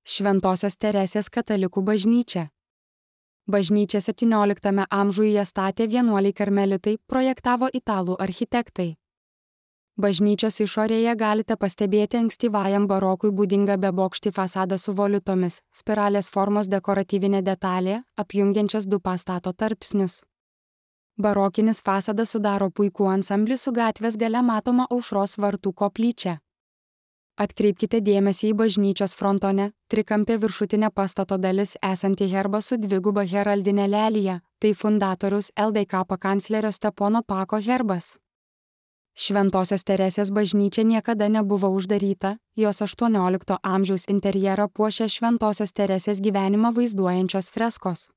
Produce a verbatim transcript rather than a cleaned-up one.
Šventosios Teresės katalikų bažnyčia. Bažnyčią septynioliktame amžiuje statė vienuoliai karmelitai, projektavo italų architektai. Bažnyčios išorėje galite pastebėti ankstyvajam barokui būdingą bebokštį fasadą su volitomis, spiralės formos dekoratyvinė detalė, apjungiančias du pastato tarpsnius. Barokinis fasadas sudaro puikų ansamblį su gatvės gale matoma Aušros vartų koplyčia. Atkreipkite dėmesį į bažnyčios frontone, trikampė viršutinė pastato dalis esanti herbą su dviguba heraldinė lelija, tai fundatoriaus L D K pakanclerio Stepono Pako herbas. Šventosios Teresės bažnyčia niekada nebuvo uždaryta, jos aštuoniolikto amžiaus interjerą puošia Šventosios Teresės gyvenimą vaizduojančios freskos.